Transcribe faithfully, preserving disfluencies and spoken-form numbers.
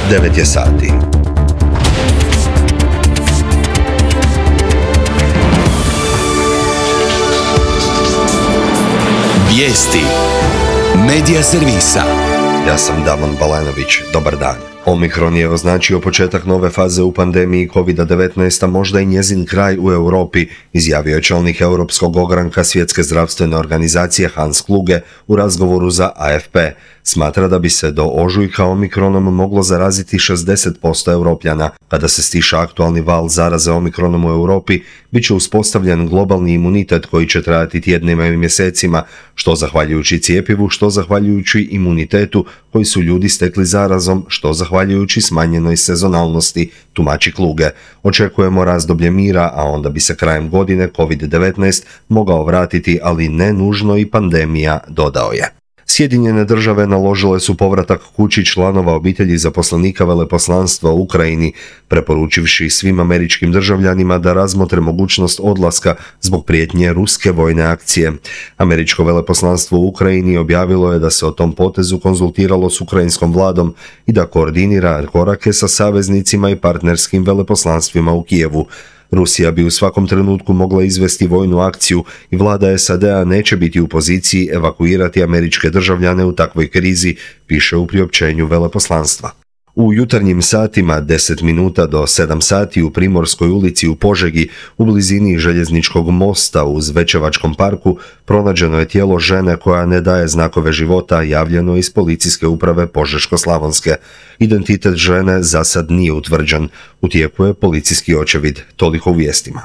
devet je sati. Vijesti Medija servisa. Ja sam Damon Balenović, dobar dan. Omikron je označio početak nove faze u pandemiji kovid devetnaest, a možda i njezin kraj u Europi, izjavio je čelnik Europskog ogranka Svjetske zdravstvene organizacije Hans Kluge u razgovoru za A F P. Smatra da bi se do ožujka omikronom moglo zaraziti šezdeset posto Europljana. Kada se stiša aktualni val zaraze omikronom u Europi, bit će uspostavljen globalni imunitet koji će trajati tjednima i mjesecima, što zahvaljujući cijepivu, što zahvaljujući imunitetu koji su ljudi stekli zarazom, što zahvaljujući smanjenoj sezonalnosti, tumači Kluge. Očekujemo razdoblje mira, a onda bi se krajem godine kovid devetnaest mogao vratiti, ali ne nužno i pandemija, dodao je. Sjedinjene države naložile su povratak kući članova obitelji zaposlenika veleposlanstva u Ukrajini, preporučivši svim američkim državljanima da razmotre mogućnost odlaska zbog prijetnje ruske vojne akcije. Američko veleposlanstvo u Ukrajini objavilo je da se o tom potezu konzultiralo s ukrajinskom vladom i da koordinira korake sa saveznicima i partnerskim veleposlanstvima u Kijevu. Rusija bi u svakom trenutku mogla izvesti vojnu akciju i vlada S A D-a neće biti u poziciji evakuirati američke državljane u takvoj krizi, piše u priopćenju veleposlanstva. U jutarnjim satima, deset minuta do sedam sati, u Primorskoj ulici u Požegi, u blizini željezničkog mosta uz Večevačkom parku, pronađeno je tijelo žene koja ne daje znakove života, javljeno iz policijske uprave Požeško-slavonske. Identitet žene za sad nije utvrđen. U tijeku je policijski očevid. Toliko u vijestima.